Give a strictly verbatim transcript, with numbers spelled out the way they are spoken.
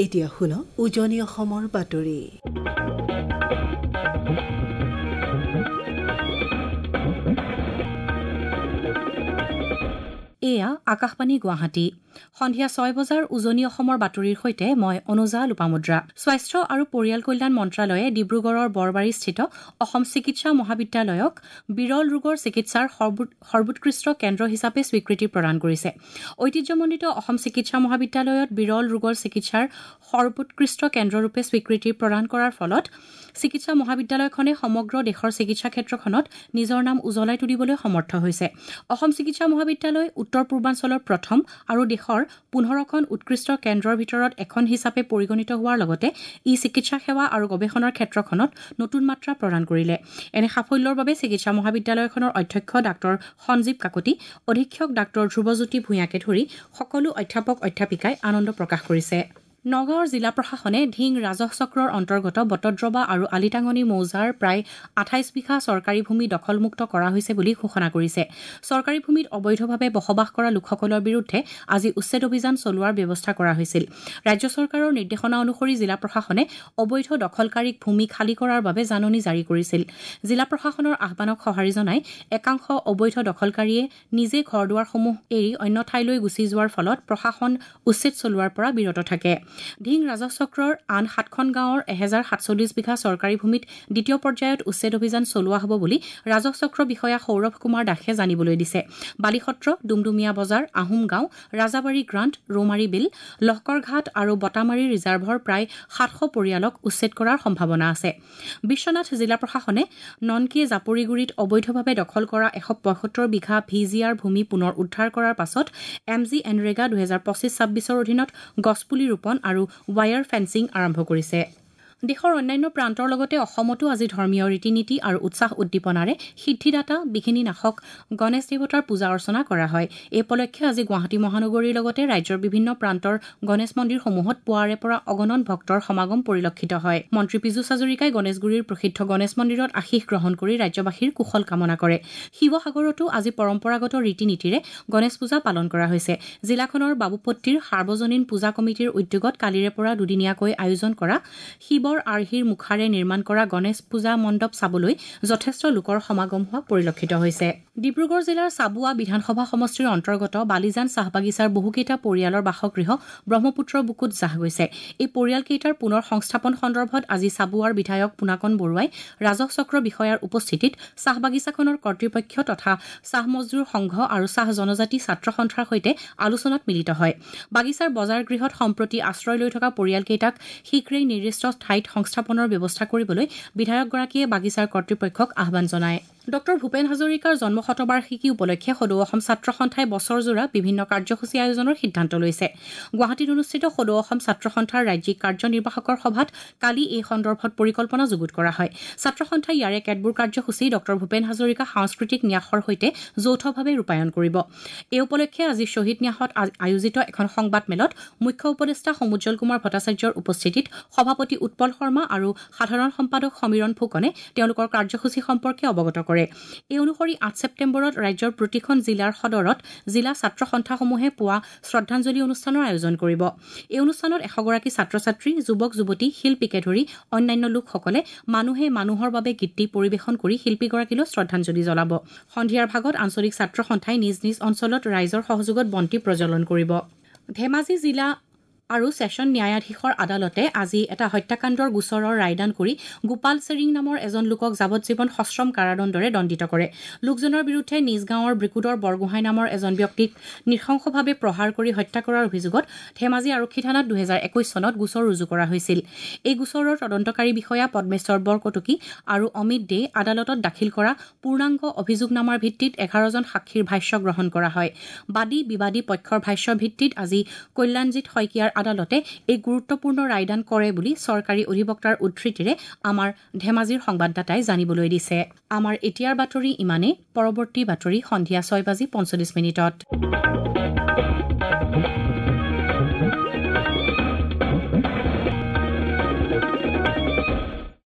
এতিয়া শুনক উজনি অসমৰ বাতৰি। এয়া আকাশবাণী গুৱাহাটী। সন্ধিয়া ছয় বজাৰ উজনি অসমৰ বাতৰিৰ সৈতে মই অনুজা লোপামুদ্ৰা। স্বাস্থ্য আৰু পৰিয়াল কল্যাণ মন্ত্ৰালয়ে ডিব্ৰুগড়ৰ বৰবাৰীস্থিত অসম চিকিৎসা মহাবিদ্যালয়ক বিৰল ৰোগৰ চিকিৎসাৰ সৰ্বোৎকৃষ্ট কেন্দ্ৰ হিচাপে স্বীকৃতি প্ৰদান কৰিছে। ঐতিহ্যমণ্ডিত অসম চিকিৎসা মহাবিদ্যালয়ত বিৰল ৰোগৰ চিকিৎসাৰ সৰ্বোৎকৃষ্ট কেন্দ্ৰৰূপে স্বীকৃতি প্ৰদান কৰাৰ ফলত চিকিৎসা মহাবিদ্যালয়খনে সমগ্ৰ দেশৰ চিকিৎসা ক্ষেত্ৰখনত নিজৰ নাম উজ্বলাই তুলিবলৈ সমৰ্থ হৈছে। অসম চিকিৎসা মহাবিদ্যালয় উত্তৰ পূৰ্বাঞ্চলৰ প্ৰথম আৰু দেশৰ পোন্ধৰখন উৎকৃষ্ট কেন্দ্ৰৰ ভিতৰত এখন হিচাপে পৰিগণিত হোৱাৰ লগতে ই চিকিৎসা সেৱা আৰু গৱেষণাৰ ক্ষেত্ৰখনত নতুন মাত্ৰা প্ৰদান কৰিলে। এনে সাফল্যৰ বাবে চিকিৎসা মহাবিদ্যালয়খনৰ অধ্যক্ষ ডাঃ সঞ্জীৱ কাকতি, অধীক্ষক ডাঃ ধ্ৰুৱজ্যোতি ভূঞাকে ধৰি সকলো অধ্যাপক অধ্যাপিকাই আনন্দ প্ৰকাশ কৰিছে। নগাঁৱৰ জিলা প্ৰশাসনে ধিং ৰাজহ চক্ৰৰ অন্তৰ্গত বটদ্ৰৱা আৰু আলিটাঙনি মৌজাৰ প্ৰায় আঠাইছ বিঘা চৰকাৰী ভূমি দখলমুক্ত কৰা হৈছে বুলি ঘোষণা কৰিছে। চৰকাৰী ভূমিত অবৈধভাৱে বসবাস কৰা লোকসকলৰ বিৰুদ্ধে আজি উচ্ছেদ অভিযান চলোৱাৰ ব্যৱস্থা কৰা হৈছিল। ৰাজ্য চৰকাৰৰ নিৰ্দেশনা অনুসৰি জিলা প্ৰশাসনে অবৈধ দখলকাৰীক ভূমি খালী কৰাৰ বাবে জাননী জাৰি কৰিছিল। জিলা প্ৰশাসনৰ আহ্বানক সঁহাৰি জনাই একাংশ অবৈধ দখলকাৰীয়ে নিজে ঘৰ দুৱাৰসমূহ এৰি অন্য ঠাইলৈ গুচি যোৱাৰ ফলত প্ৰশাসন উচ্ছেদ চলোৱাৰ পৰা বিৰত থাকে। ধিং ৰাজহ চক্ৰৰ আন সাতখন গাঁৱৰ এহেজাৰ সাতচল্লিছ বিঘা চৰকাৰী ভূমিত দ্বিতীয় পৰ্যায়ত উচ্ছেদ অভিযান চলোৱা হ'ব বুলি ৰাজহ চক্ৰ বিষয়া সৌৰভ কুমাৰ দাসে জানিবলৈ দিছে। বালিসত্ৰ, ডুমডুমীয়া বজাৰ, আহোম গাঁও, ৰাজাবাৰী গ্ৰাণ্ট, ৰৌমাৰী বিল, লহকৰঘাট আৰু বটামাৰী ৰিজাৰ্ভৰ প্ৰায় সাতশ পৰিয়ালক উচ্ছেদ কৰাৰ সম্ভাৱনা আছে। বিশ্বনাথ জিলা প্ৰশাসনে ননকি জাপৰিগুৰিত অবৈধভাৱে দখল কৰা এশ পঁয়সত্তৰ বিঘা ভি জি আৰ ভূমি পুনৰ উদ্ধাৰ কৰাৰ পাছত এম জি এনৰেগা দুহেজাৰ পঁচিছ ছাব্বিছৰ অধীনত গছপুলি ৰোপণ আৰু ৱায়াৰ ফেন্সিং আৰম্ভ কৰিছে। দেশৰ অন্যান্য প্ৰান্তৰ লগতে অসমতো আজি ধৰ্মীয় ৰীতি নীতি আৰু উৎসাহ উদ্দীপনাৰে সিদ্ধিদাতা বিঘিনি নাশক গণেশ দেৱতাৰ পূজা অৰ্চনা কৰা হয়। এই উপলক্ষে আজি গুৱাহাটী মহানগৰীৰ লগতে ৰাজ্যৰ বিভিন্ন প্ৰান্তৰ গণেশ মন্দিৰসমূহত পুৱাৰে পৰা অগণন ভক্তৰ সমাগম পৰিলক্ষিত হয়। মন্ত্ৰী পীযুষ হাজৰিকাই গণেশগুৰিৰ প্ৰসিদ্ধ গণেশ মন্দিৰত আশীষ গ্ৰহণ কৰি ৰাজ্যবাসীৰ কুশল কামনা কৰে। শিৱসাগৰতো আজি পৰম্পৰাগত ৰীতি নীতিৰে গণেশ পূজা পালন কৰা হৈছে। জিলাখনৰ বাবুপট্টিৰ সাৰ্বজনীন পূজা কমিটিৰ উদ্যোগত কালিৰে পৰা দুদিনীয়াকৈ আয়োজন কৰা শিৱৰ আৰ্হিৰ মুখাৰে নিৰ্মাণ কৰা গণেশ পূজা মণ্ডপ চাবলৈ যথেষ্ট লোকৰ সমাগম হোৱা পৰিলক্ষিত হৈছে। ডিব্ৰুগড় জিলাৰ চাবুৱা বিধানসভা সমষ্টিৰ অন্তৰ্গত বালিজান চাহ বাগিচাৰ বহুকেইটা পৰিয়ালৰ বাসগৃহ ব্ৰহ্মপুত্ৰৰ বুকুত জাহ গৈছে। এই পৰিয়ালকেইটাৰ পুনৰ সংস্থাপন সন্দৰ্ভত আজি চাবুৱাৰ বিধায়ক পোনাকণ বৰুৱাই ৰাজহ চক্ৰ বিষয়াৰ উপস্থিতিত চাহ বাগিচাখনৰ কৰ্তৃপক্ষ তথা চাহ মজদুৰ সংঘ আৰু চাহ জনজাতি ছাত্ৰ সন্থাৰ সৈতে আলোচনাত মিলিত হয়। বাগিচাৰ বজাৰ গৃহত সম্প্ৰতি আশ্ৰয় লৈ থকা পৰিয়ালকেইটাক শীঘ্ৰেই নিৰ্দিষ্ট ঠাইত সংস্থাপনৰ ব্যৱস্থা কৰিবলৈ বিধায়কগৰাকীয়ে বাগিচাৰ কৰ্তৃপক্ষক আহ্বান জনায়। ডঃ ভূপেন হাজৰিকাৰ জন্ম শতবাৰ্ষিকী উপলক্ষে সদৌ অসম ছাত্ৰ সন্থাই বছৰজোৰা বিভিন্ন কাৰ্যসূচী আয়োজনৰ সিদ্ধান্ত লৈছে। গুৱাহাটীত অনুষ্ঠিত সদৌ অসম ছাত্ৰ সন্থাৰ ৰাজ্যিক কাৰ্যনিৰ্বাহকৰ সভাত কালি এই সন্দৰ্ভত পৰিকল্পনা যুগুত কৰা হয়। ছাত্ৰ সন্থাই ইয়াৰে কেতবোৰ কাৰ্যসূচী ডঃ ভূপেন হাজৰিকা সাংস্কৃতিক ন্যাসৰ সৈতে যৌথভাৱে ৰূপায়ণ কৰিব। এই উপলক্ষে আজি শ্বহীদ ন্যাসত আয়োজিত এখন সংবাদমেলত মুখ্য উপদেষ্টা সমুজ্জ্বল কুমাৰ ভট্টাচাৰ্যৰ উপস্থিতিত সভাপতি উৎপল শৰ্মা আৰু সাধাৰণ সম্পাদক সমীৰণ ফুকনে তেওঁলোকৰ কাৰ্যসূচী সম্পৰ্কে অৱগত কৰে। এই অনুসৰি আঠ ছেপ্টেম্বৰত ৰাজ্যৰ প্ৰতিখন জিলাৰ সদৰত জিলা ছাত্ৰ সন্থাসমূহে পুৱা শ্ৰদ্ধাঞ্জলি অনুষ্ঠানৰ আয়োজন কৰিব। এই অনুষ্ঠানত এশগৰাকী ছাত্ৰ ছাত্ৰী, যুৱক যুৱতী, শিল্পীকে ধৰি অন্যান্য লোকসকলে মানুহে মানুহৰ বাবে গীতটি পৰিৱেশন কৰি শিল্পীগৰাকীলৈ শ্ৰদ্ধাঞ্জলি জনাব। সন্ধিয়াৰ ভাগত আঞ্চলিক ছাত্ৰ সন্থাই নিজ নিজ অঞ্চলত ৰাইজৰ সহযোগত বন্তি প্ৰজ্বলন কৰিব। ধেমাজি জিলা আৰু ছেছন ন্যায়াধীশৰ আদালতে আজি এটা হত্যাকাণ্ডৰ গোচৰৰ ৰায়দান কৰি গোপাল চেৰিং নামৰ এজন লোকক যাৱজ্জীৱন সশ্ৰম কাৰাদণ্ডৰে দণ্ডিত কৰে। লোকজনৰ বিৰুদ্ধে নিজ গাঁৱৰ ব্ৰিকুদৰ বৰগোহাঁই নামৰ এজন ব্যক্তিক নৃশংসভাৱে প্ৰহাৰ কৰি হত্যা কৰাৰ অভিযোগত ধেমাজি আৰক্ষী থানাত দুহেজাৰ একৈছ চনত গোচৰ ৰুজু কৰা হৈছিল। এই গোচৰৰ তদন্তকাৰী বিষয়া পদ্মেশ্বৰ বৰকটকী আৰু অমিত দে আদালতত দাখিল কৰা পূৰ্ণাংগ অভিযোগনামাৰ ভিত্তিত এঘাৰজন সাক্ষীৰ ভাষ্য গ্ৰহণ কৰা হয়। বাদী বিবাদী পক্ষৰ ভাষ্যৰ ভিত্তিত আজি কল্যাণজিৎ শইকীয়াৰ আদালতে এই গুৰুত্বপূৰ্ণ ৰায়দান কৰে বুলি চৰকাৰী অধিবক্তাৰ উদ্ধৃতিৰে আমাৰ ধেমাজিৰ সংবাদদাতাই জানিবলৈ দিছে। আমাৰ এতিয়াৰ বাতৰি ইমানেই। পৰৱৰ্তী বাতৰি সন্ধিয়া ছয় বাজি পঞ্চল্লিছ মিনিটত।